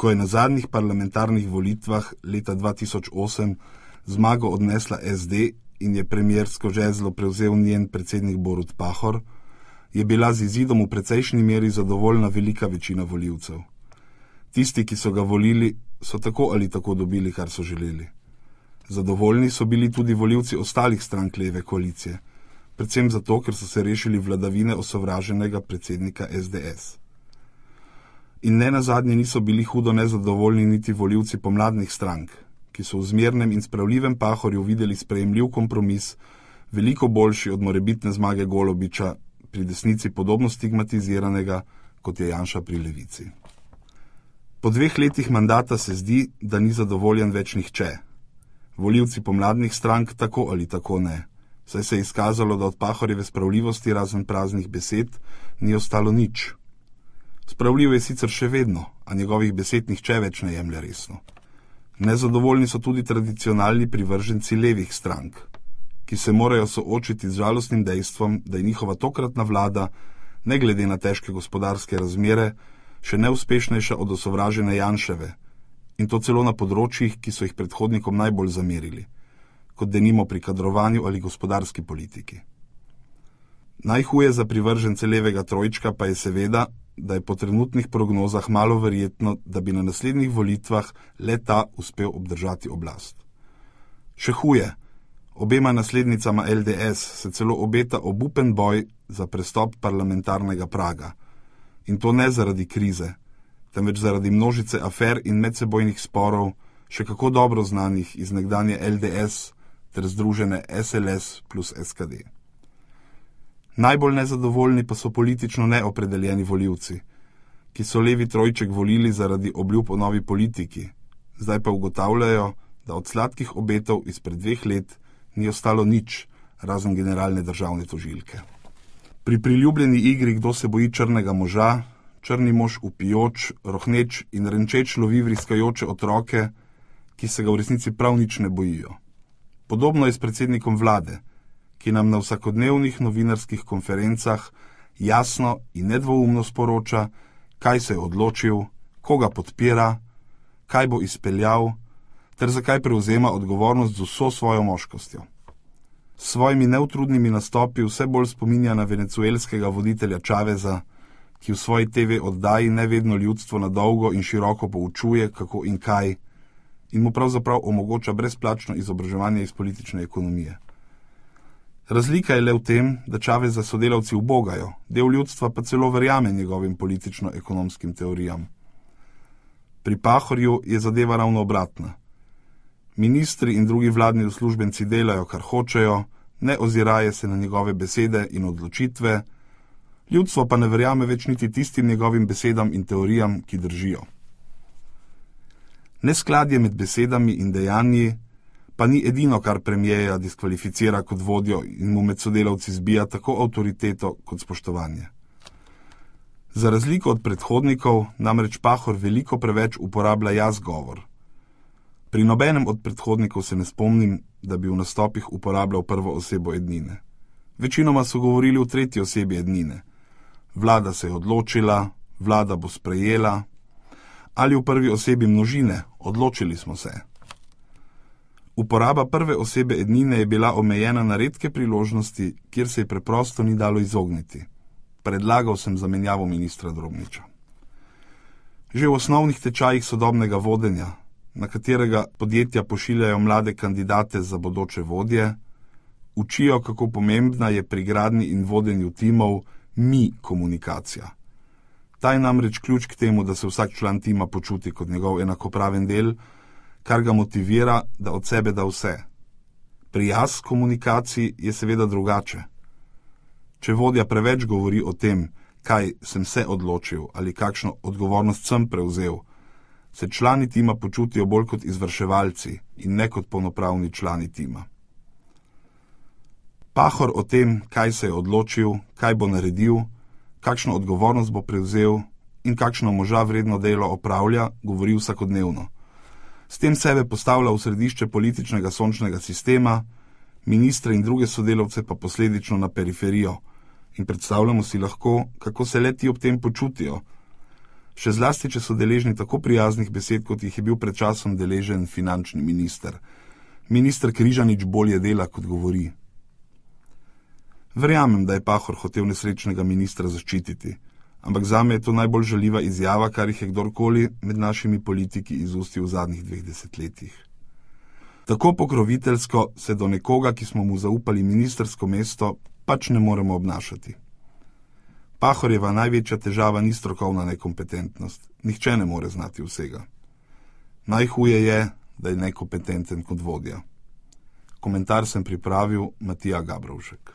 Ko je na zadnjih parlamentarnih volitvah leta 2008 zmago odnesla SD in je premiersko žezlo prevzel njen predsednik Borut Pahor, je bila z izidom v precejšnji meri zadovoljna velika večina volivcev. Tisti, ki so ga volili, so tako ali tako dobili, kar so želeli. Zadovoljni so bili tudi volivci ostalih strank leve koalicije, predvsem zato, ker so se rešili vladavine osovraženega predsednika SDS. In ne nazadnje niso bili hudo nezadovoljni niti volivci pomladnih strank, ki so v zmernem in spravljivem Pahorju videli sprejemljiv kompromis, veliko boljši od morebitne zmage Golobiča, pri desnici podobno stigmatiziranega, kot je Janša pri levici. Po 2 letih mandata se zdi, da ni zadovoljen več nihče. Volivci pomladnih strank tako ali tako ne, saj se je izkazalo, da od Pahorjeve spravljivosti razen praznih besed ni ostalo nič. Spravljiv je sicer še vedno, a njegovih besed nihče več ne jemlje resno. Nezadovoljni so tudi tradicionalni privrženci levih strank, ki se morajo soočiti z žalostnim dejstvom, da je njihova tokratna vlada, ne glede na težke gospodarske razmere, še neuspešnejša od osovražene Janševe, in to celo na področjih, ki so jih predhodnikom najbolj zamerili, kot denimo pri kadrovanju ali gospodarski politiki. Najhuje za privržence levega trojčka pa je seveda, da je po trenutnih prognozah malo verjetno, da bi na naslednjih volitvah le ta uspel obdržati oblast. Še huje, obema naslednicama LDS se celo obeta obupen boj za prestop parlamentarnega praga. In to ne zaradi krize, temveč zaradi množice afer in medsebojnih sporov, še kako dobro znanih iz nekdanje LDS ter združene SLS plus SKD. Najbolj nezadovoljni pa so politično neopredeljeni volivci, ki so levi trojček volili zaradi obljub o novi politiki, zdaj pa ugotavljajo, da od sladkih obetov izpred 2 let ni ostalo nič, razen generalne državne tožilke. Pri priljubljeni igri Kdo se boji črnega moža, črni mož vpijoč, rohneč in renčeč lovi vriskajoče otroke, ki se ga v resnici prav nič ne bojijo. Podobno je s predsednikom vlade, ki nam na vsakodnevnih novinarskih konferencah jasno in nedvoumno sporoča, kaj se je odločil, koga podpira, kaj bo izpeljal, ter zakaj prevzema odgovornost z vso svojo moškostjo. S svojimi neutrudnimi nastopi vse bolj spominja na venezuelskega voditelja Chaveza, ki v svoji TV oddaji nevedno ljudstvo na dolgo in široko poučuje, kako in kaj, in mu pravzaprav omogoča brezplačno izobraževanje iz politične ekonomije. Razlika je le v tem, da Chaveza sodelavci ubogajo, del ljudstva pa celo verjame njegovim politično-ekonomskim teorijam. Pri Pahorju je zadeva ravno obratna. Ministri in drugi vladni uslužbenci delajo, kar hočejo, ne oziraje se na njegove besede in odločitve, ljudstvo pa ne verjame več niti tistim njegovim besedam in teorijam, ki držijo. Neskladje med besedami in dejanji pa ni edino, kar premierja diskvalificira kot vodjo in mu med sodelavci zbija tako avtoriteto kot spoštovanje. Za razliko od predhodnikov namreč Pahor veliko preveč uporablja jaz govor. Pri nobenem od predhodnikov se ne spomnim, da bi v nastopih uporabljal prvo osebo ednine. Večinoma so govorili v tretji osebi ednine. Vlada se je odločila, vlada bo sprejela, ali v prvi osebi množine, odločili smo se. Uporaba prve osebe ednine je bila omejena na redke priložnosti, kjer se je preprosto ni dalo izogniti. Predlagal sem zamenjavo ministra Drobniča. Že v osnovnih tečajih sodobnega vodenja, na katerega podjetja pošiljajo mlade kandidate za bodoče vodje, učijo, kako pomembna je pri gradnji in vodenju timov komunikacija. Ta je namreč ključ k temu, da se vsak član tima počuti kot njegov enakopraven del, kar ga motivira, da od sebe da vse. Pri jaz komunikaciji je seveda drugače. Če vodja preveč govori o tem, kaj sem se odločil ali kakšno odgovornost sem prevzel, se člani tima počutijo bolj kot izvrševalci in ne kot polnopravni člani tima. Pahor o tem, kaj se je odločil, kaj bo naredil, kakšno odgovornost bo prevzel in kakšno moža vredno delo opravlja, govori vsakodnevno. S tem sebe postavlja v središče političnega sončnega sistema, ministre in druge sodelavce pa posledično na periferijo in predstavljamo si lahko, kako se le ti ob tem počutijo. Še zlasti, če so deležni tako prijaznih besed, kot jih je bil pred časom deležen finančni minister. Minister Križanič bolje dela, kot govori. Verjamem, da je Pahor hotel nesrečnega ministra zaščititi, ampak zame je to najbolj žaljiva izjava, kar jih je kdorkoli med našimi politiki izustil v zadnjih 2 desetletjih. Tako pokroviteljsko se do nekoga, ki smo mu zaupali ministrsko mesto, pač ne moremo obnašati. Pahorjeva največja težava ni strokovna nekompetentnost. Nihče ne more znati vsega. Najhuje je, da je nekompetenten kot vodja. Komentar sem pripravil Matija Gabrovšek.